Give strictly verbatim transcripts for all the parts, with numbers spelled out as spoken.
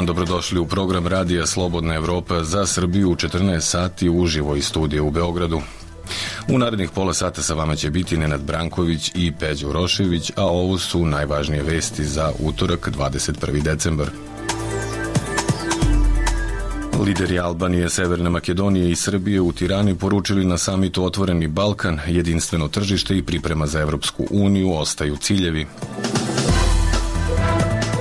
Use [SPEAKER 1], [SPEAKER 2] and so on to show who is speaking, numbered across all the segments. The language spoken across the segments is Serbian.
[SPEAKER 1] dobrodošli u program Radija Slobodna Evropa za Srbiju u četrnaest sati uživo iz studija u Beogradu. U narednih pola sata sa vama će biti Nenad Branković i Peđa Urošević, a ovo su najvažnije vesti za utorak dvadeset prvi decembar. Lideri Albanije, Severne Makedonije i Srbije u Tirani poručili na samitu Otvoreni Balkan, jedinstveno tržište i priprema za Evropsku uniju ostaju ciljevi.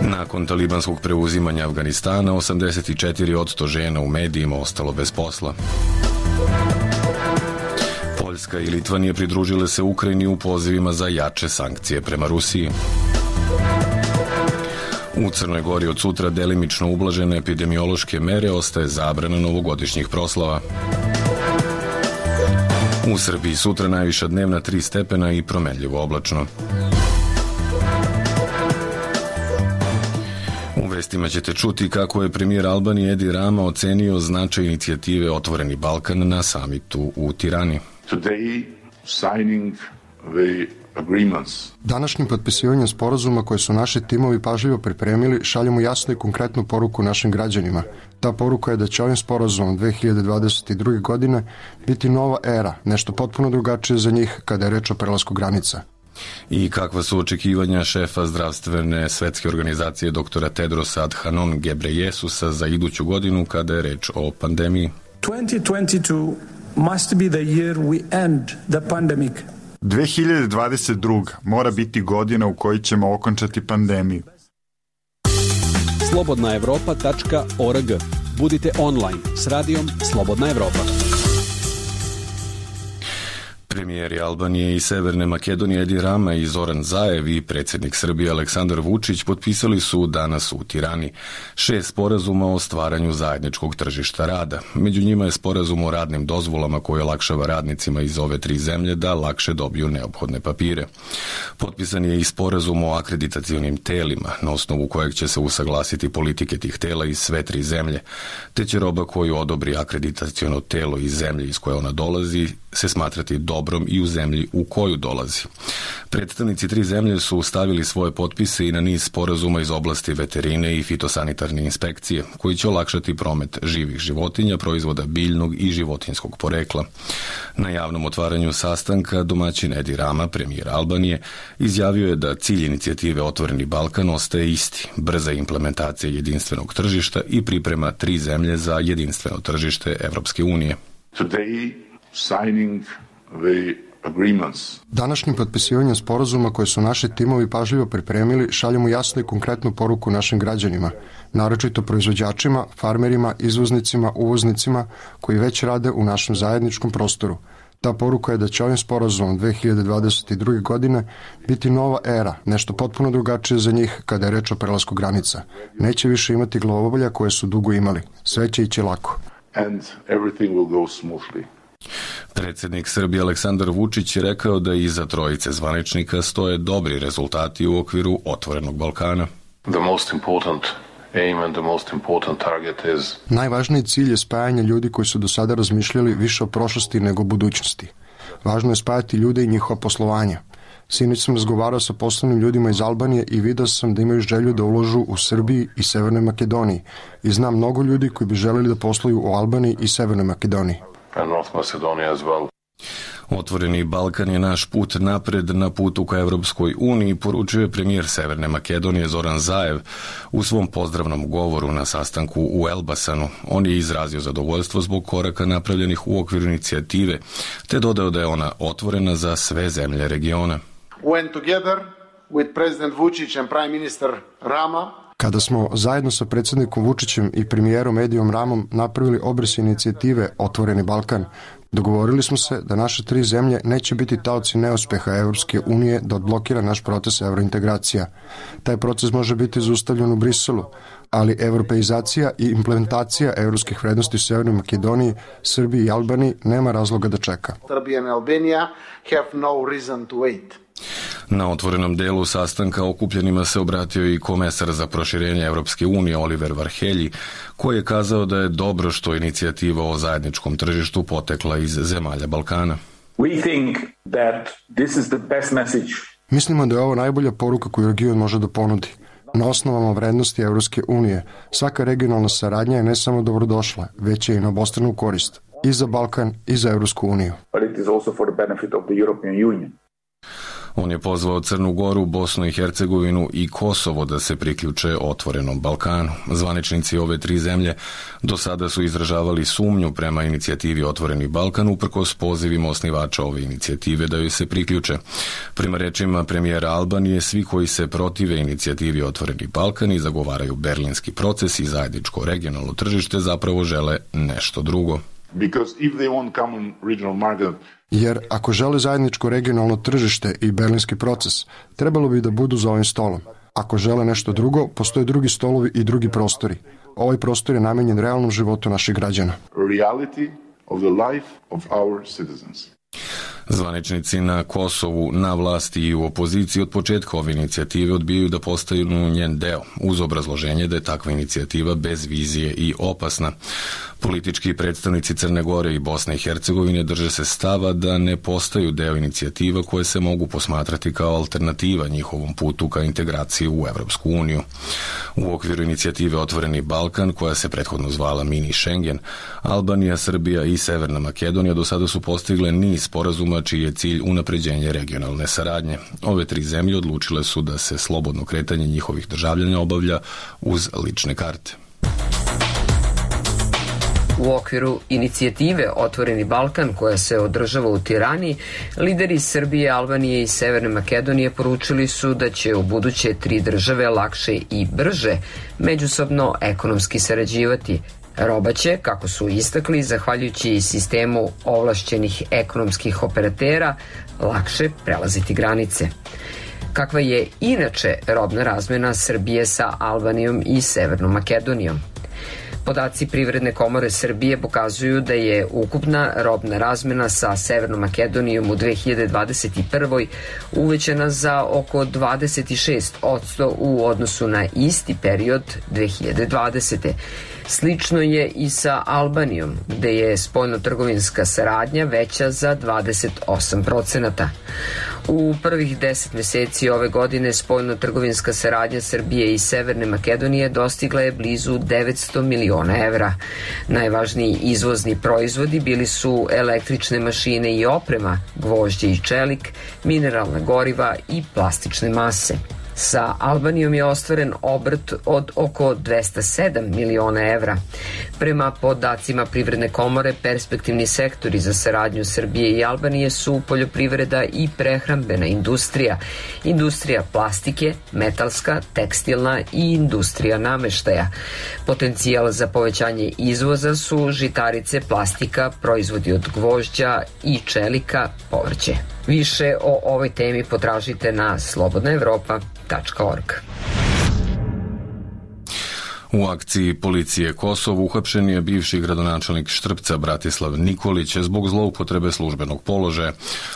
[SPEAKER 1] Nakon talibanskog preuzimanja Afganistana, osamdeset četiri posto žena u medijima ostalo bez posla. Poljska i Litvanija pridružile se Ukrajini u pozivima za jače sankcije prema Rusiji. U Crnoj Gori od sutra delimično ublažene epidemiološke mere, ostaje zabrana novogodišnjih proslava. U Srbiji sutra najviša dnevna tri stepena i promenljivo oblačno. U vestima ćete čuti kako je premijer Albanije Edi Rama ocenio značaj inicijative Otvoreni Balkan na samitu u Tirani.
[SPEAKER 2] Today, signing the agreements.
[SPEAKER 3] Današnjim potpisivanjem sporazuma koje su naši timovi pažljivo pripremili, šaljemo jasnu i konkretnu poruku našim građanima. Ta poruka je da će ovim sporazumom dve hiljade dvadeset druge. godine biti nova era, nešto potpuno drugačije za njih kada je reč o prelasku granica.
[SPEAKER 1] I kakva su očekivanja šefa zdravstvene svetske organizacije doktora Tedrosa Adhanom Gebreyesusa za iduću godinu kada je reč o pandemiji?
[SPEAKER 4] twenty twenty-two must be the year we end the pandemic.
[SPEAKER 5] dve hiljade dvadeset druga. mora biti godina u kojoj ćemo okončati pandemiju.
[SPEAKER 6] slobodna evropa tačka org. Budite online s radijom Slobodna Evropa.
[SPEAKER 1] Premijeri Albanije i Severne Makedonije Edi Rama i Zoran Zaev i predsjednik Srbije Aleksandar Vučić potpisali su danas u Tirani šest sporazuma o stvaranju zajedničkog tržišta rada. Među njima je sporazum o radnim dozvolama koji olakšava radnicima iz ove tri zemlje da lakše dobiju neophodne papire. Potpisan je i sporazum o akreditacionim telima, na osnovu kojeg će se usaglasiti politike tih tela iz sve tri zemlje, te će roba koju odobri akreditaciono telo iz zemlje iz koje ona dolazi se smatrati dobrom i u zemlji u koju dolazi. Predstavnici tri zemlje su stavili svoje potpise i na niz sporazuma iz oblasti veterine i fitosanitarne inspekcije, koji će olakšati promet živih životinja, proizvoda biljnog i životinjskog porekla. Na javnom otvaranju sastanka domaćin Edi Rama, premijer Albanije, izjavio je da cilj inicijative Otvoreni Balkan ostaje isti, brza implementacija jedinstvenog tržišta i priprema tri zemlje za jedinstveno tržište Evropske unije.
[SPEAKER 2] Today, signing the agreements.
[SPEAKER 3] Današnjim potpisivanjem sporazuma koje su naši timovi pažljivo pripremili, šaljemo jasnu i konkretnu poruku našim građanima, naročito proizvođačima, farmerima, izvoznicima, uvoznicima koji već rade u našem zajedničkom prostoru. Ta poruka je da će ovim sporazumom dve hiljade dvadeset druge. godine biti nova era, nešto potpuno drugačije za njih kada je reč o prelasku granica. Neće više imati glavobolja koje su dugo imali. Sve će ići lako.
[SPEAKER 2] And everything will go smoothly.
[SPEAKER 1] Predsjednik Srbije Aleksandar Vučić je rekao da iza trojice zvaničnika stoje dobri rezultati u okviru Otvorenog Balkana.
[SPEAKER 7] The most important aim and the most important target is...
[SPEAKER 3] Najvažniji cilj je spajanje ljudi koji su do sada razmišljali više o prošlosti nego o budućnosti. Važno je spajati ljude i njihova poslovanja. Sinoć sam razgovarao sa poslovnim ljudima iz Albanije i vidio sam da imaju želju da uložu u Srbiji i Severnoj Makedoniji. I znam mnogo ljudi koji bi želeli da posluju u Albaniji i Severnoj Makedoniji.
[SPEAKER 7] And North Macedonia as well.
[SPEAKER 1] Otvoreni Balkan je naš put napred na putu ka Evropskoj uniji, poručio je premijer Severne Makedonije Zoran Zaev u svom pozdravnom govoru na sastanku u Elbasanu. On je izrazio zadovoljstvo zbog koraka napravljenih u okviru inicijative, te dodao da je ona otvorena za sve zemlje regiona.
[SPEAKER 8] When together with President Vučić and Prime Minister Rama,
[SPEAKER 3] kada smo zajedno sa predsjednikom Vučićem i premijerom Edijom Ramom napravili obris inicijative Otvoreni Balkan, dogovorili smo se da naše tri zemlje neće biti taoci neuspeha Evropske unije da odblokira naš proces evrointegracija. Taj proces može biti zaustavljen u Briselu, ali evropeizacija i implementacija evropskih vrednosti u Severnoj Makedoniji, Srbiji i Albaniji nema razloga da čeka.
[SPEAKER 8] Serbia and Albania have no reason to wait.
[SPEAKER 1] Na otvorenom delu sastanka okupljenima se obratio i komesar za proširenje Evropske unije Oliver Varhelji, koji je kazao da je dobro što inicijativa o zajedničkom tržištu potekla iz zemalja Balkana.
[SPEAKER 9] We think that this is the best message.
[SPEAKER 3] Mislimo da je ovo najbolja poruka koju region može da ponudi. na osnovama vrednosti Evropske unije. Svaka regionalna saradnja je ne samo dobrodošla, već je i na obostranu korist i za Balkan i za Evropsku uniju.
[SPEAKER 1] On je pozvao Crnu Goru, Bosnu i Hercegovinu i Kosovo da se priključe otvorenom Balkanu. Zvaničnici ove tri zemlje do sada su izražavali sumnju prema inicijativi Otvoreni Balkan uprkos pozivima osnivača ove inicijative da joj se priključe. Prema rečima premijera Albanije, svi koji se protive inicijativi Otvoreni Balkan i zagovaraju berlinski proces i zajedničko regionalno tržište zapravo žele nešto drugo.
[SPEAKER 2] Because if they want common regional market,
[SPEAKER 3] Jer ako žele zajedničko regionalno tržište i berlinski proces, trebalo bi da budu za ovim stolom. Ako žele nešto drugo, postoje drugi stolovi i drugi prostori. Ovaj prostor je namenjen realnom životu naših građana.
[SPEAKER 2] reality of the life of our citizens.
[SPEAKER 1] Zvaničnici na Kosovu, na vlasti i u opoziciji od početka ove inicijative odbijaju da postaju njen deo, uz obrazloženje da je takva inicijativa bez vizije i opasna. Politički predstavnici Crne Gore i Bosne i Hercegovine drže se stava da ne postaju deo inicijativa koje se mogu posmatrati kao alternativa njihovom putu ka integraciji u Evropsku uniju. U okviru inicijative Otvoreni Balkan, koja se prethodno zvala Mini Schengen, Albanija, Srbija i Severna Makedonija do sada su postigle niz sporazuma čiji je cilj unapređenje regionalne saradnje. Ove tri zemlje odlučile su da se slobodno kretanje njihovih državljana obavlja uz lične karte.
[SPEAKER 9] U okviru inicijative Otvoreni Balkan, koja se održava u Tirani, lideri Srbije, Albanije i Severne Makedonije poručili su da će u buduće tri države lakše i brže međusobno ekonomski sarađivati. Roba će, kako su istakli, zahvaljujući sistemu ovlašćenih ekonomskih operatera, lakše prelaziti granice. Kakva je inače robna razmena Srbije sa Albanijom i Severnom Makedonijom? Podaci Privredne komore Srbije pokazuju da je ukupna robna razmena sa Severnom Makedonijom u dve hiljade dvadeset prvoj. uvećana za oko dvadeset šest posto u odnosu na isti period dve hiljade dvadesete. Slično je i sa Albanijom, gde je spoljno-trgovinska saradnja veća za dvadeset osam procenata. U prvih deset meseci ove godine spoljno-trgovinska saradnja Srbije i Severne Makedonije dostigla je blizu devetsto miliona evra. Najvažniji izvozni proizvodi bili su električne mašine i oprema, gvožđe i čelik, mineralna goriva i plastične mase. Sa Albanijom je ostvaren obrt od oko dvesta sedam miliona evra. Prema podacima Privredne komore, perspektivni sektori za saradnju Srbije i Albanije su poljoprivreda i prehrambena industrija, industrija plastike, metalska, tekstilna i industrija nameštaja. Potencijal za povećanje izvoza su žitarice, plastika, proizvodi od gvožđa i čelika, povrće. Više o ovoj temi potražite na slobodna evropa tačka org.
[SPEAKER 1] U akciji policije Kosovo uhapšen je bivši gradonačelnik Štrpca Bratislav Nikolić zbog zloupotrebe službenog položaja,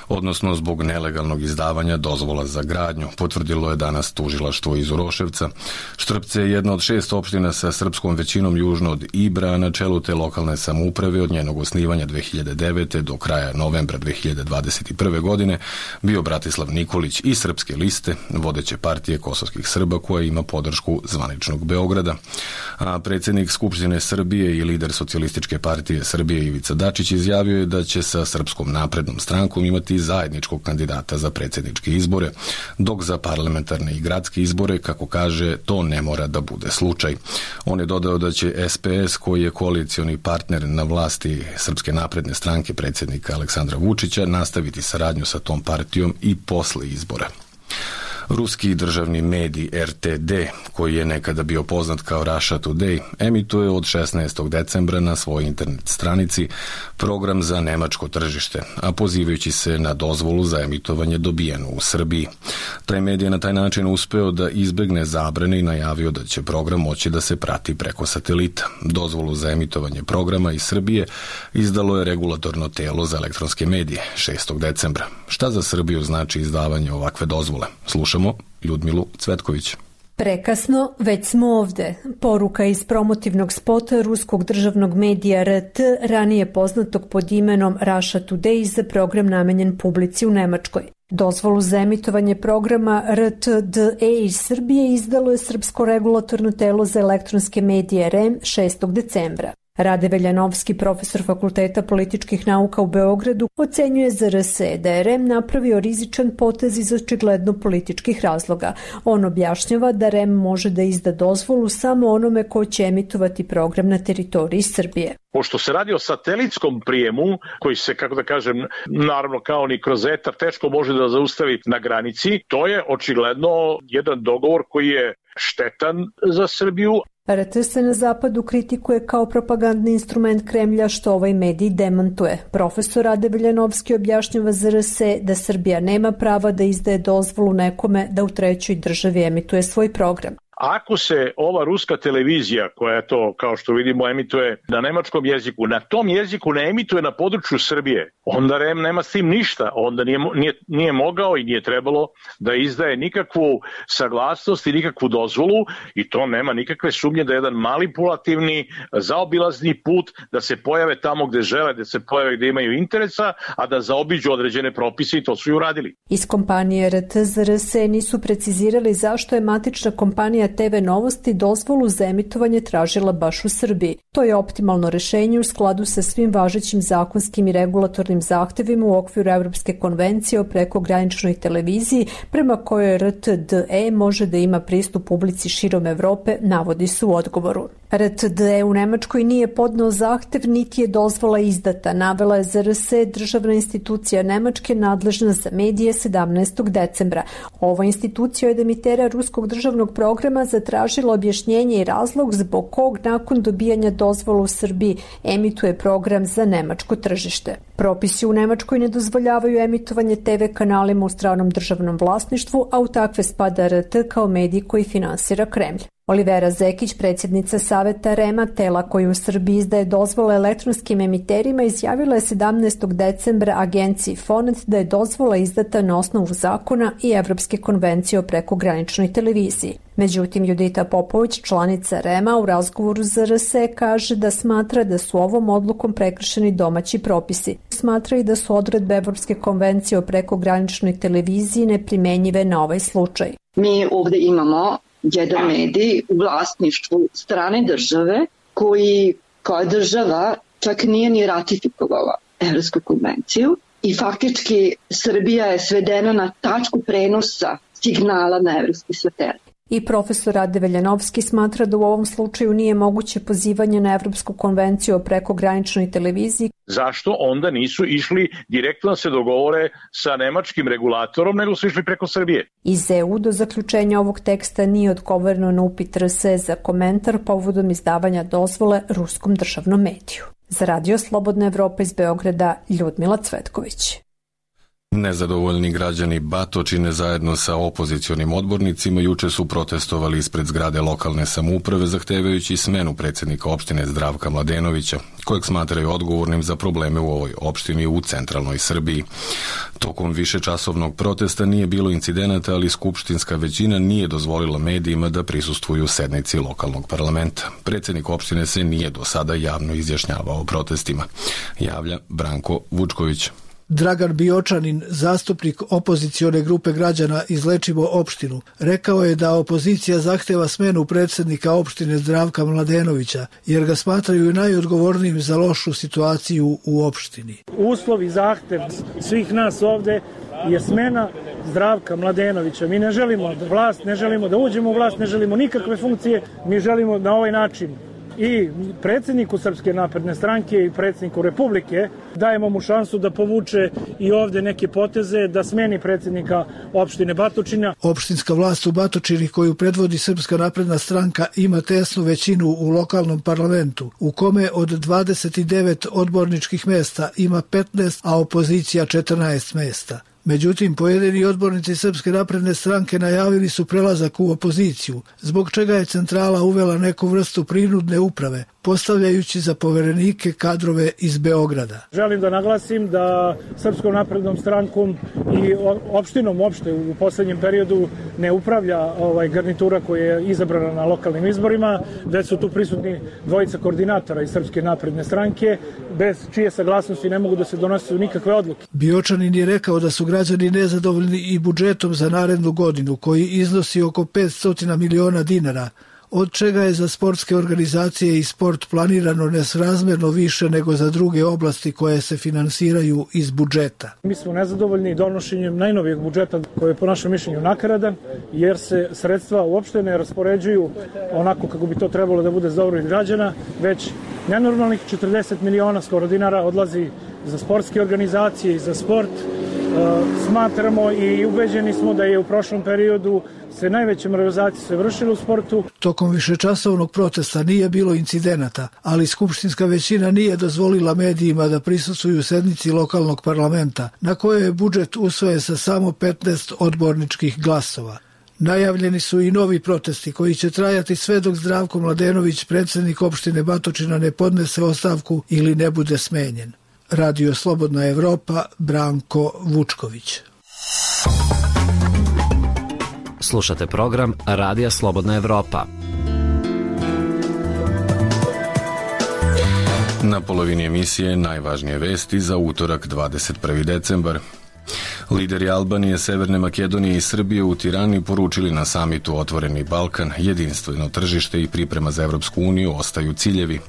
[SPEAKER 1] odnosno zbog nelegalnog izdavanja dozvola za gradnju, potvrdilo je danas tužilaštvo iz Uroševca. Štrpce je jedna od šest opština sa srpskom većinom južno od Ibra, na čelu te lokalne samouprave od njenog osnivanja dve hiljade devete. do kraja novembra dve hiljade dvadeset prve. godine bio Bratislav Nikolić iz Srpske liste, vodeće partije kosovskih Srba koja ima podršku zvaničnog Beograda. A predsjednik Skupštine Srbije i lider Socijalističke partije Srbije Ivica Dačić izjavio je da će sa Srpskom naprednom strankom imati zajedničkog kandidata za predsjedničke izbore, dok za parlamentarne i gradske izbore, kako kaže, to ne mora da bude slučaj. On je dodao da će S P S, koji je koalicioni partner na vlasti Srpske napredne stranke predsjednika Aleksandra Vučića, nastaviti saradnju sa tom partijom i posle izbora. Ruski državni medij R T D, koji je nekada bio poznat kao Russia Today, emituje od šesnaestog decembra na svojoj internet stranici program za nemačko tržište, a pozivajući se na dozvolu za emitovanje dobijenu u Srbiji. Taj medij je na taj način uspeo da izbegne zabrane i najavio da će program moći da se prati preko satelita. Dozvolu za emitovanje programa iz Srbije izdalo je regulatorno telo za elektronske medije šestog decembra. Šta za Srbiju znači izdavanje ovakve dozvole? Slušamo Ljudmilu Cvetković.
[SPEAKER 10] Prekasno, već smo ovde. Poruka iz promotivnog spota ruskog državnog medija R T, ranije poznatog pod imenom Russia Today, za program namenjen publici u Nemačkoj. Dozvolu za emitovanje programa R T D E iz Srbije izdalo je Srpsko regulatorno telo za elektronske medije R E M šestog decembra. Rade Veljanovski, profesor Fakulteta političkih nauka u Beogradu, ocenjuje za R S da je R E M napravio rizičan potez iz očigledno političkih razloga. On objašnjava da R E M može da izda dozvolu samo onome ko će emitovati program na teritoriji Srbije.
[SPEAKER 11] Pošto se radi o satelitskom prijemu, koji se, kako da kažem, naravno kao ni kroz etar, teško može da zaustavi na granici, to je očigledno jedan dogovor koji je štetan za Srbiju.
[SPEAKER 10] R T se na zapadu kritikuje kao propagandni instrument Kremlja, što ovaj medij demantuje. Profesor Rade Veljanovski objašnjava za R S da Srbija nema prava da izdaje dozvolu nekome da u trećoj državi emituje svoj program.
[SPEAKER 11] Ako se ova ruska televizija, koja to, kao što vidimo, emituje na nemačkom jeziku, na tom jeziku ne emituje na području Srbije, onda R E M nema s tim ništa. Onda nije, nije, nije mogao i nije trebalo da izdaje nikakvu saglasnost i nikakvu dozvolu, i to nema nikakve sumnje da je jedan manipulativni, zaobilazni put da se pojave tamo gde žele, da se pojave gde imaju interesa, a da zaobiđu određene propise, i to su i uradili.
[SPEAKER 10] Iz kompanije R T za R S nisu precizirali zašto je matična kompanija T V Novosti dozvolu za emitovanje tražila baš u Srbiji. To je optimalno rešenje u skladu sa svim važećim zakonskim i regulatornim zahtevima u okviru Evropske konvencije o prekograničnoj televiziji, prema kojoj R T D E može da ima pristup publici širom Evrope, navodi se u odgovoru. R T D E u Nemačkoj nije podneo zahtev, niti je dozvola izdata, navela je za R S državna institucija Nemačke nadležna za medije sedamnaestog decembra. Ova institucija od emitera ruskog državnog programa zatražila objašnjenje i razlog zbog kog nakon dobijanja dozvola u Srbiji emituje program za nemačko tržište. Propisi u Nemačkoj ne dozvoljavaju emitovanje T V kanalima u stranom državnom vlasništvu, a u takve spada R T kao medij koji finansira Kremlj. Olivera Zekić, predsjednica Saveta R E M-a, tela koji u Srbiji izdaje dozvole elektronskim emiterima, izjavila je sedamnaestog decembra agenciji Fonet da je dozvola izdata na osnovu zakona i Evropske konvencije o prekograničnoj televiziji. Međutim, Judita Popović, članica R E M-a, u razgovoru za R S kaže da smatra da su ovom odlukom prekršeni domaći propisi. Smatra i da su odredbe Evropske konvencije o prekograničnoj televiziji neprimenjive na ovaj slučaj.
[SPEAKER 12] Mi ovde imamo jedan medij u vlasništvu strane države koji kao država čak nije ni ratifikovala Evropsku konvenciju i faktički Srbija je svedena na tačku prenosa signala na evropski satelit.
[SPEAKER 10] I profesor Rade Veljanovski smatra da u ovom slučaju nije moguće pozivanje na Evropsku konvenciju o prekograničnoj televiziji.
[SPEAKER 11] Zašto onda nisu išli direktno da se dogovore sa nemačkim regulatorom, nego su išli preko Srbije?
[SPEAKER 10] Iz E U do zaključenja ovog teksta nije odgovoreno na upit R S za komentar povodom izdavanja dozvole ruskom državnom mediju. Za Radio Slobodna Evropa iz Beograda, Ljudmila Cvetković.
[SPEAKER 1] Nezadovoljni građani Batočine zajedno sa opozicionim odbornicima juče su protestovali ispred zgrade lokalne samouprave zahtevajući smenu predsjednika opštine Zdravka Mladenovića, kojeg smatraju odgovornim za probleme u ovoj opštini u centralnoj Srbiji. Tokom višečasovnog protesta nije bilo incidenata, ali skupštinska većina nije dozvolila medijima da prisustvuju sednici lokalnog parlamenta. Predsjednik opštine se nije do sada javno izjašnjavao o protestima, javlja Branko Vučković.
[SPEAKER 13] Dragan Biočanin, zastupnik opozicione grupe građana iz Lečimo opštinu, rekao je da opozicija zahteva smenu predsjednika opštine Zdravka Mladenovića, jer ga smatraju najodgovornijim za lošu situaciju u opštini.
[SPEAKER 14] Uslov i zahtev svih nas ovde je smena Zdravka Mladenovića. Mi ne želimo da vlast, ne želimo da uđemo u vlast, ne želimo nikakve funkcije, mi želimo na ovaj način i predsjedniku Srpske napredne stranke i predsjedniku Republike dajemo mu šansu da povuče i ovde neke poteze, da smeni predsjednika opštine Batočina.
[SPEAKER 13] Opštinska vlast u Batočini koju predvodi Srpska napredna stranka ima tesnu većinu u lokalnom parlamentu, u kome od dvadeset devet odborničkih mesta ima petnaest, a opozicija četrnaest mesta. Međutim, pojedini odbornici Srpske napredne stranke najavili su prelazak u opoziciju, zbog čega je centrala uvela neku vrstu prinudne uprave, postavljajući za poverenike kadrove iz Beograda.
[SPEAKER 14] Želim da naglasim da Srpskom naprednom strankom i opštinom uopšte u poslednjem periodu ne upravlja ovaj garnitura koja je izabrana na lokalnim izborima, već su tu prisutni dvojica koordinatora iz Srpske napredne stranke, bez čije saglasnosti ne mogu da se donose nikakve odluke.
[SPEAKER 13] Biočanin je rekao da su građani nezadovoljni i budžetom za narednu godinu, koji iznosi oko petsto miliona dinara, od čega je za sportske organizacije i sport planirano nesrazmerno više nego za druge oblasti koje se finansiraju iz budžeta.
[SPEAKER 14] Mi smo nezadovoljni donošenjem najnovijeg budžeta koji je po našem mišljenju nakaradan, jer se sredstva uopšte ne raspoređuju onako kako bi to trebalo da bude za dobrobit građana, već nenormalnih četrdeset miliona skoro dinara odlazi za sportske organizacije i za sport. Smatramo i ubeđeni smo da je u prošlom periodu se najveće malverzacije se vršile u sportu.
[SPEAKER 13] Tokom višečasovnog protesta nije bilo incidenata, ali skupštinska većina nije dozvolila medijima da prisustvuju sednici lokalnog parlamenta, na kojoj je budžet usvojen sa samo petnaest odborničkih glasova. Najavljeni su i novi protesti koji će trajati sve dok Zdravko Mladenović, predsjednik opštine Batočina, ne podnese ostavku ili ne bude smenjen. Radio Slobodna Evropa, Branko Vučković.
[SPEAKER 15] Slušate program Radija Slobodna Evropa.
[SPEAKER 1] Na polovini emisije najvažnije vesti za utorak dvadeset prvi decembar. Lideri Albanije, Severne Makedonije i Srbije u Tirani poručili na samitu Otvoreni Balkan, jedinstveno tržište i priprema za Evropsku uniju ostaju ciljevi.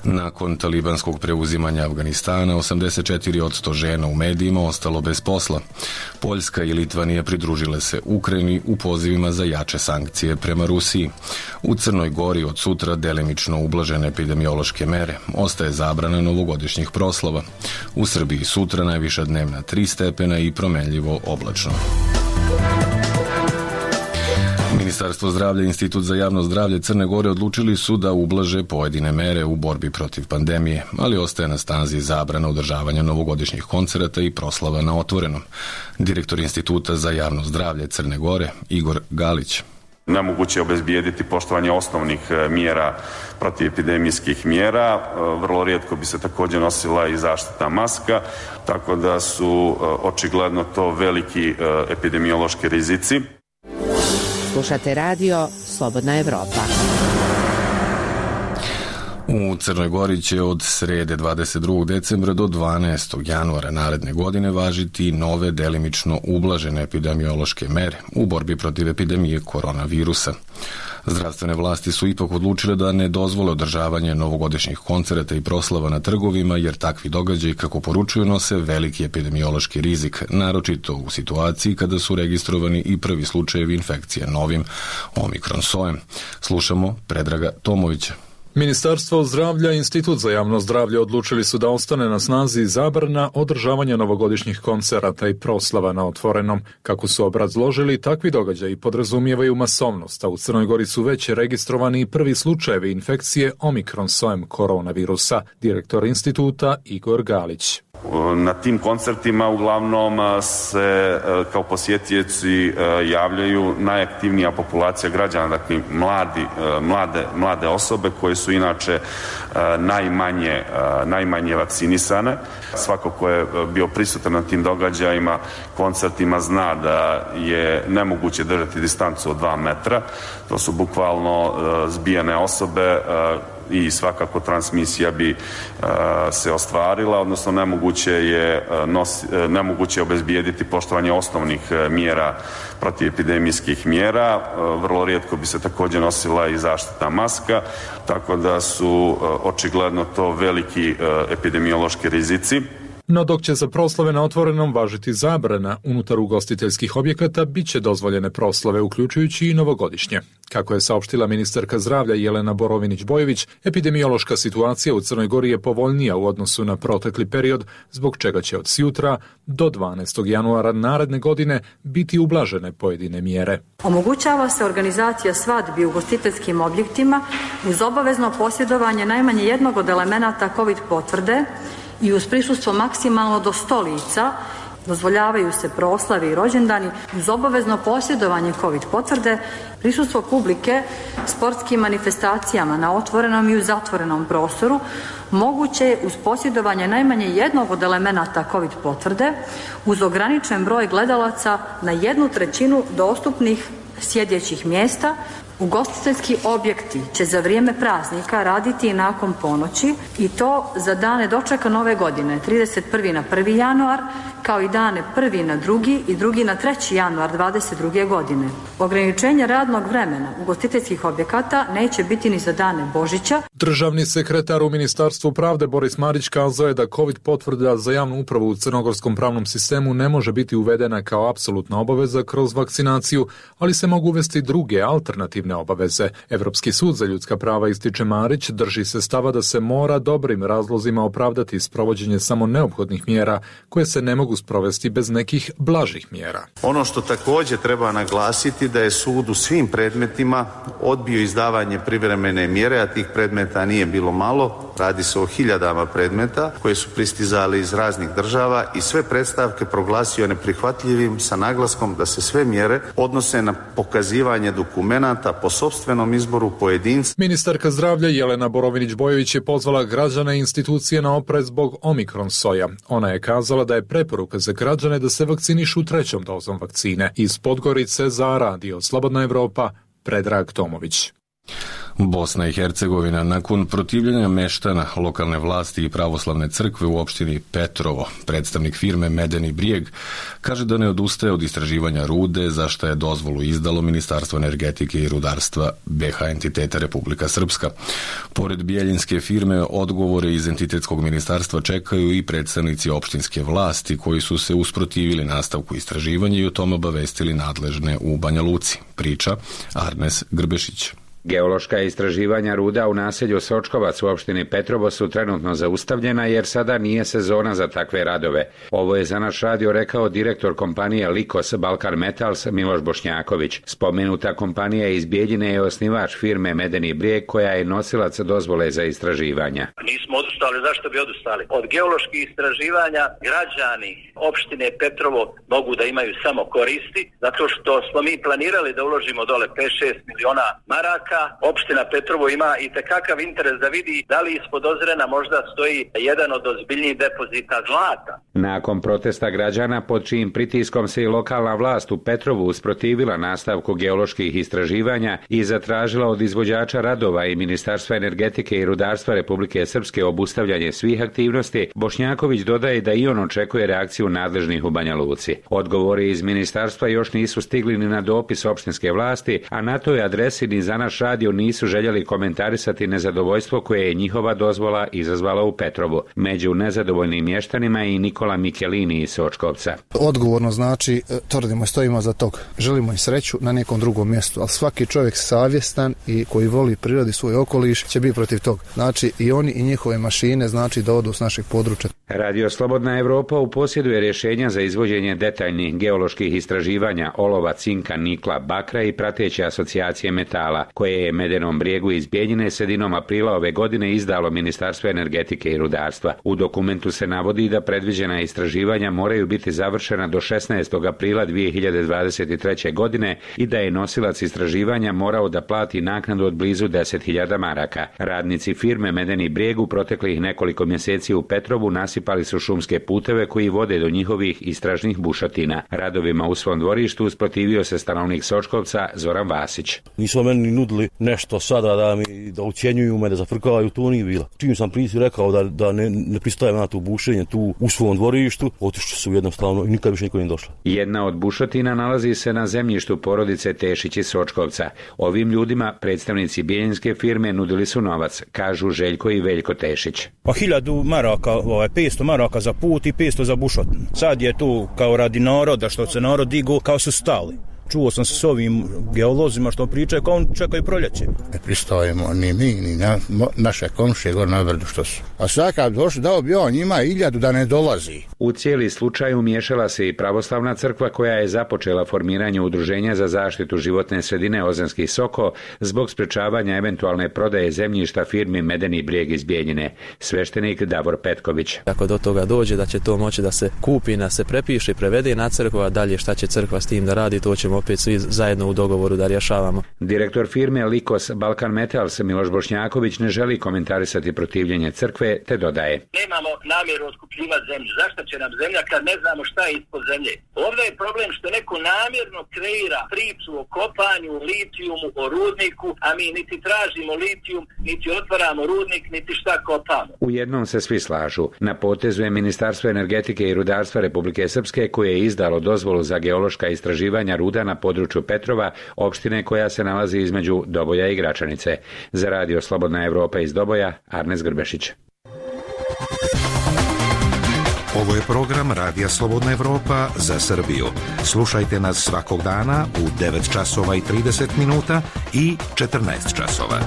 [SPEAKER 1] Nakon talibanskog preuzimanja Afganistana, osamdeset četiri posto žena u medijima ostalo bez posla. Poljska i Litvanija pridružile se Ukrajini u pozivima za jače sankcije prema Rusiji. U Crnoj Gori od sutra delimično ublažene epidemiološke mere. Ostaje zabrana novogodišnjih proslava. U Srbiji sutra najviša dnevna tri stepena i promenljivo oblačno. Ministarstvo zdravlja i Institut za javno zdravlje Crne Gore odlučili su da ublaže pojedine mere u borbi protiv pandemije, ali ostaje na snazi zabrana održavanja novogodišnjih koncerata i proslava na otvorenom. Direktor Instituta za javno zdravlje Crne Gore, Igor Galić.
[SPEAKER 16] Nemoguće je obezbijediti poštovanje osnovnih mjera protivepidemijskih mjera. Vrlo rijetko bi se također nosila i zaštitna maska, tako da su očigledno to veliki epidemiološki rizici.
[SPEAKER 17] Slušate radio Slobodna Evropa.
[SPEAKER 1] U Crnoj Gori će od srede dvadeset drugog decembra do dvanaestog januara naredne godine važiti nove delimično ublažene epidemiološke mere u borbi protiv epidemije koronavirusa. Zdravstvene vlasti su ipak odlučile da ne dozvole održavanje novogodišnjih koncerata i proslava na trgovima, jer takvi događaji, kako poručuju, nose veliki epidemiološki rizik, naročito u situaciji kada su registrovani i prvi slučajevi infekcije novim omikron sojem. Slušamo Predraga Tomovića.
[SPEAKER 18] Ministarstvo zdravlja i Institut za javno zdravlje odlučili su da ostane na snazi zabrana održavanja novogodišnjih koncerata i proslava na otvorenom. Kako su obrazložili, takvi događaji podrazumijevaju masovnost, a u Crnoj Gori su već registrovani i prvi slučajevi infekcije omikron sojem koronavirusa. Direktor instituta Igor Galić.
[SPEAKER 16] Na tim koncertima uglavnom se kao posjetioci javljaju najaktivnija populacija građana, dakle mladi, mlade, mlade osobe koje su inače najmanje, najmanje vakcinisane. Svako ko je bio prisutan na tim događajima, koncertima, zna da je nemoguće držati distancu od dva metra. To su bukvalno zbijene osobe i svakako transmisija bi uh, se ostvarila, odnosno nemoguće je, uh, nos, uh, nemoguće je obezbijediti poštovanje osnovnih uh, mjera protivepidemijskih mjera. Uh, vrlo rijetko bi se također nosila i zaštitna maska, tako da su uh, očigledno to veliki uh, epidemiološki rizici.
[SPEAKER 18] No dok će za proslave na otvorenom važiti zabrana unutar ugostiteljskih objekata, bit će dozvoljene proslave, uključujući i novogodišnje. Kako je saopštila ministarka zdravlja Jelena Borovinić-Bojović, epidemiološka situacija u Crnoj Gori je povoljnija u odnosu na protekli period, zbog čega će od sjutra do dvanaestog januara naredne godine biti ublažene pojedine mjere.
[SPEAKER 19] Omogućava se organizacija svadbi u ugostiteljskim objektima uz obavezno posjedovanje najmanje jednog od elemenata COVID potvrde i uz prisustvo maksimalno do sto lica. Dozvoljavaju se proslave i rođendani uz obavezno posjedovanje COVID potvrde, prisustvo publike sportskim manifestacijama na otvorenom i u zatvorenom prostoru, moguće je uz posjedovanje najmanje jednog od elemenata COVID potvrde, uz ograničen broj gledalaca na jednu trećinu dostupnih sjedećih mjesta, Ugostiteljski objekti će za vrijeme praznika raditi i nakon ponoći i to za dane dočeka nove godine, trideset prvi na prvi januar, kao i dane prvi na drugi i drugi na treći januar dvadeset druge godine. Ograničenje radnog vremena ugostiteljskih objekata neće biti ni za dane Božića.
[SPEAKER 18] Državni sekretar u Ministarstvu pravde Boris Marić kazao je da COVID potvrda za javnu upravu u crnogorskom pravnom sistemu ne može biti uvedena kao apsolutna obaveza kroz vakcinaciju, ali se mogu uvesti druge alternativne obaveze. Evropski sud za ljudska prava, ističe Marić, drži se stava da se mora dobrim razlozima opravdati sprovođenje samo neophodnih mjera koje se ne mogu sprovesti bez nekih blažih mjera.
[SPEAKER 20] Ono što također treba naglasiti da je sud u svim predmetima odbio izdavanje privremene mjere, a tih predmeta nije bilo malo, radi se o hiljadama predmeta koje su pristizali iz raznih država i sve predstavke proglasio neprihvatljivim sa naglaskom da se sve mjere odnose na pokazivanje dokumenata po sopstvenom izboru pojedinca.
[SPEAKER 18] Ministarka zdravlja Jelena Borovinić-Bojović je pozvala građane i institucije na oprez zbog omikron soja. Ona je kazala da je preporuka za građane da se vakcinišu trećom dozom vakcine. Iz Podgorice za Radio Slobodna Evropa, Predrag Tomović.
[SPEAKER 1] Bosna i Hercegovina nakon protivljenja meštana lokalne vlasti i pravoslavne crkve u opštini Petrovo, predstavnik firme Medeni Brijeg, kaže da ne odustaje od istraživanja rude, za što je dozvolu izdalo Ministarstvo energetike i rudarstva B H entiteta Republika Srpska. Pored bijeljinske firme, odgovore iz entitetskog ministarstva čekaju i predstavnici opštinske vlasti koji su se usprotivili nastavku istraživanja i o tom obavestili nadležne u Banja Luci. Priča Arnes Grbešić.
[SPEAKER 21] Geološka istraživanja ruda u naselju Sočkovac u opštini Petrovo su trenutno zaustavljena jer sada nije sezona za takve radove. Ovo je za naš radio rekao direktor kompanije Likos Balkan Metals Miloš Bošnjaković. Spomenuta kompanija iz Bijeljine je osnivač firme Medeni Brijeg koja je nosilac dozvole za istraživanja.
[SPEAKER 22] Nismo odustali, zašto bi odustali? Od geoloških istraživanja građani opštine Petrovo mogu da imaju samo koristi, zato što smo mi planirali da uložimo dole pet šest miliona maraka. Opština Petrovo ima i tekakav interes da vidi da li ispod Ozrena možda stoji jedan od ozbiljnijih depozita zlata.
[SPEAKER 21] Nakon protesta građana pod čijim pritiskom se i lokalna vlast u Petrovu usprotivila nastavku geoloških istraživanja i zatražila od izvođača radova i Ministarstva energetike i rudarstva Republike Srpske obustavljanje svih aktivnosti, Bošnjaković dodaje da i on očekuje reakciju nadležnih u Banja Luci. Odgovori iz ministarstva još nisu stigli ni na dopis opštinske vlasti, a na toj adresi ni za naš radio nisu željeli komentarisati nezadovoljstvo koje je njihova dozvola izazvala u Petrovu. Među nezadovoljnim mještanima je i Nikola Mikelini iz Sočkovca.
[SPEAKER 23] Odgovorno znači, tvrdimo, stojimo za tog. Želimo i sreću na nekom drugom mjestu, ali svaki čovjek savjestan i koji voli prirodi svoj okoliš će biti protiv tog. Znači i oni i njihove mašine znači da odu s našeg područja.
[SPEAKER 21] Radio Slobodna Evropa u posjeduje rješenja za izvođenje detaljnih geoloških istraživanja olova, cinka, nikla, bakra i prateće asocijacije metala, koje je Medenom Brijegu iz Bijeljine sredinom aprila ove godine izdalo Ministarstvo energetike i rudarstva. U dokumentu se navodi da predviđena istraživanja moraju biti završena do šesnaestog aprila dvije hiljade dvadeset treće. godine i da je nosilac istraživanja morao da plati naknadu od blizu deset hiljada maraka. Radnici firme Medeni Brijeg u proteklih nekoliko mjeseci u Petrovu nasipali su šumske puteve koji vode do njihovih istražnih bušotina. Radovima u svom dvorištu usprotivio se stanovnik Sočkovca Zoran Vasić.
[SPEAKER 24] Nisu meni nudili nešto sada da mi da ucijenjuju me, da zafrkavaju, to nije bilo. Čim sam prisi rekao da, da ne, ne pristajem na to bušenje tu u svom dvorištu, otišli su jednostavno i nikad više niko nije došla.
[SPEAKER 21] Jedna od bušotina nalazi se na zemljištu porodice Tešić iz Sočkovca. Ovim ljudima predstavnici bijeljinske firme nudili su novac, kažu Željko i Veljko Tešić.
[SPEAKER 25] Pa hiljadu maraka, ovaj, petsto maraka za put i petsto za bušotinu. Sad je tu kao radi naroda, što se narod digu, kao su stali. Čuo sam se s ovim geolozima što pričaju kao on čekaju proljeće.
[SPEAKER 26] Ne pristojimo ni mi, ni na, naše komšije gore na brdu što su. A svaka došli dao bi on njima iljadu da ne dolazi.
[SPEAKER 21] U cijeli slučaj umiješala se i pravoslavna crkva koja je započela formiranje udruženja za zaštitu životne sredine Ozanski Soko zbog sprečavanja eventualne prodaje zemljišta firmi Medeni Brijeg iz Bijeljine. Sveštenik Davor Petković.
[SPEAKER 27] Ako do toga dođe da će to moći da se kupi, da se prepiše i prevede na crkvu, a dalje šta će crkva s tim da radi, to ćemo
[SPEAKER 3] možemo opet svi zajedno u dogovoru da rješavamo.
[SPEAKER 21] Direktor firme Likos Balkan Metals Miloš Bošnjaković ne želi komentarisati protivljenje crkve, te dodaje:
[SPEAKER 22] Nemamo namjeru otkupljivati zemlju. Zašto će nam zemlja kad ne znamo šta je ispod zemlje? Ovdje je problem što neko namjerno kreira priču o kopanju, litijumu, o rudniku, a mi niti tražimo litijum, niti otvaramo rudnik, niti šta kopamo.
[SPEAKER 21] U jednom se svi slažu. Na potezu je Ministarstvo energetike i rudarstva Republike Srpske, koje je izdalo dozvolu za geološka istraživanja ruda na području Petrova, opštine koja se nalazi između Doboja i Gračanice. Za radio Slobodna Evropa iz Doboja, Arnes Grbešić.
[SPEAKER 4] Ovo je program Radija Slobodna Evropa za Srbiju. Slušajte nas svakog dana u devet časova i trideset minuta i četrnaest časova.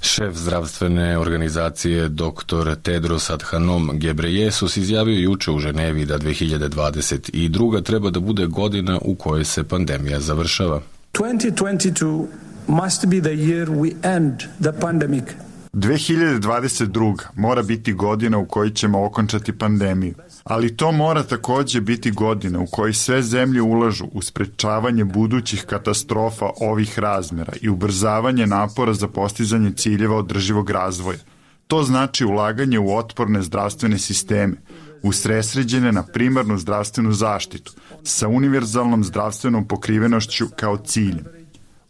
[SPEAKER 1] Šef zdravstvene organizacije doktor Tedros Adhanom Ghebreyesus izjavio juče u Ženevi da dve hiljade dvadeset druga treba da bude godina u kojoj se pandemija završava.
[SPEAKER 5] twenty twenty-two must be the year we end the pandemic.
[SPEAKER 6] dve hiljade dvadeset druga mora biti godina u kojoj ćemo okončati pandemiju, ali to mora takođe biti godina u kojoj sve zemlje ulažu u sprečavanje budućih katastrofa ovih razmera i ubrzavanje napora za postizanje ciljeva održivog razvoja. To znači ulaganje u otporne zdravstvene sisteme, usredsređene na primarnu zdravstvenu zaštitu, sa univerzalnom zdravstvenom pokrivenošću kao ciljem.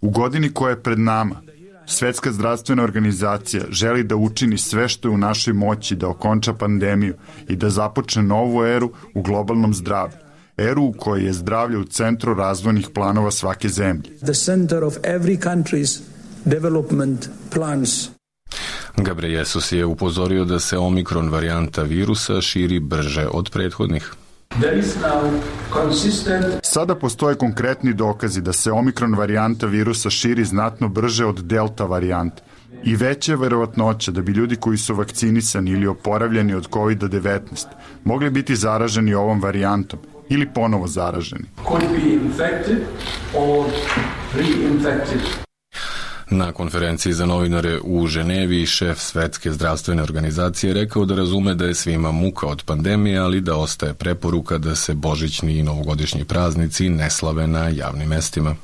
[SPEAKER 6] U godini koja je pred nama, Svetska zdravstvena organizacija želi da učini sve što je u našoj moći da okonča pandemiju i da započne novu eru u globalnom zdravlju. Eru u kojoj je zdravlje u centru razvojnih planova svake zemlje.
[SPEAKER 5] The center of every country's development plans.
[SPEAKER 1] Ghebreyesus je upozorio da se omikron varijanta virusa širi brže od prethodnih.
[SPEAKER 6] Sada postoje konkretni dokazi da se omikron varijanta virusa širi znatno brže od delta varijante i veća je verovatnoća da bi ljudi koji su vakcinisani ili oporavljeni od kovid devetnaest mogli biti zaraženi ovom varijantom ili ponovo zaraženi. Na konferenciji za novinare u Ženevi šef Svetske zdravstvene organizacije rekao da razume da je svima muka od pandemije, ali da ostaje preporuka da se božićni i novogodišnji praznici ne slave na javnim mestima.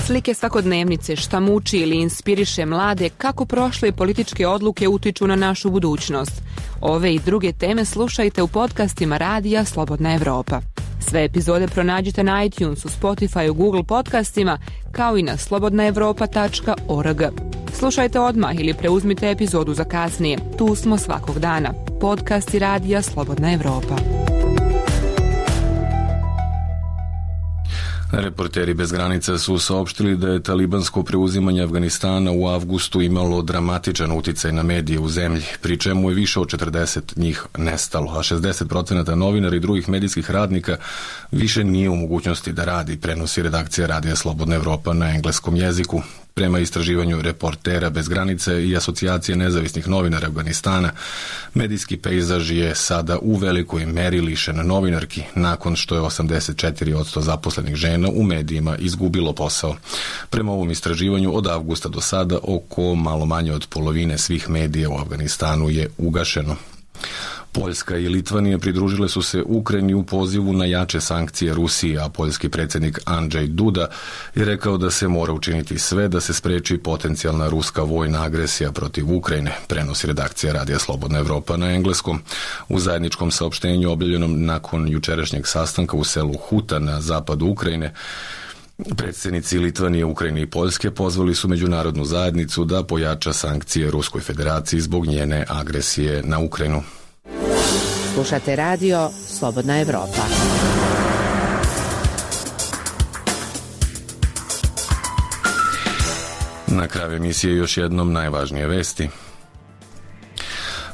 [SPEAKER 7] Slike svakodnevnice, šta muči ili inspiriše mlade, kako prošle političke odluke utiču na našu budućnost. Ove i druge teme slušajte u podcastima Radija Slobodna Evropa. Sve epizode pronađite na iTunesu, Spotifyu, Google podcastima, kao i na slobodna evropa tačka org. Slušajte odmah ili preuzmite epizodu za kasnije. Tu smo svakog dana. Podcasti Radija Slobodna Evropa.
[SPEAKER 1] Reporteri bez granica su saopštili da je talibansko preuzimanje Afganistana u avgustu imalo dramatičan uticaj na medije u zemlji, pri čemu je više od četrdeset njih nestalo, a šezdeset procenata novinara i drugih medijskih radnika više nije u mogućnosti da radi, prenosi redakcija Radija Slobodna Evropa na engleskom jeziku. Prema istraživanju Reportera bez granice i Asocijacije nezavisnih novinara Afganistana, medijski pejzaž je sada u velikoj meri lišen novinarki, nakon što je osamdeset četiri posto zaposlenih žena u medijima izgubilo posao. Prema ovom istraživanju od avgusta do sada oko malo manje od polovine svih medija u Afganistanu je ugašeno. Poljska i Litvanija pridružile su se Ukrajini u pozivu na jače sankcije Rusije, a poljski predsjednik Andrzej Duda je rekao da se mora učiniti sve da se spreči potencijalna ruska vojna agresija protiv Ukrajine, prenosi redakcija Radija Slobodna Evropa na engleskom. U zajedničkom saopštenju objavljenom nakon jučerašnjeg sastanka u selu Huta na zapadu Ukrajine, predsjednici Litvanije, Ukrajine i Poljske pozvali su međunarodnu zajednicu da pojača sankcije Ruskoj federaciji zbog njene agresije na Ukrajinu.
[SPEAKER 17] Slušate radio Slobodna Evropa.
[SPEAKER 1] Na kraju emisije još jednom najvažnije vesti.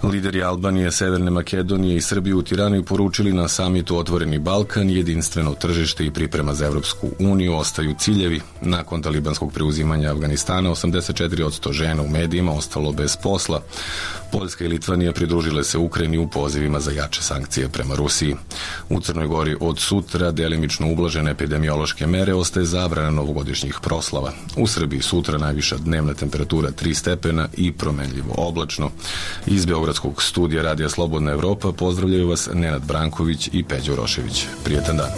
[SPEAKER 1] Lideri Albanije, Severne Makedonije i Srbije u Tirani poručili na samitu Otvoreni Balkan, jedinstveno tržište i priprema za Evropsku uniju ostaju ciljevi. Nakon talibanskog preuzimanja Afganistana, osamdeset četiri posto žena u medijima ostalo bez posla. Poljska i Litvanija pridružile se Ukrajini u pozivima za jače sankcije prema Rusiji. U Crnoj Gori od sutra delimično ublažene epidemiološke mere ostaje zabrana novogodišnjih proslava. U Srbiji sutra najviša dnevna temperatura tri stepena i promenljivo oblačno. Iz Beogradskog studija Radija Slobodna Evropa pozdravljaju vas Nenad Branković i Peđo Rošević. Prijetan dan.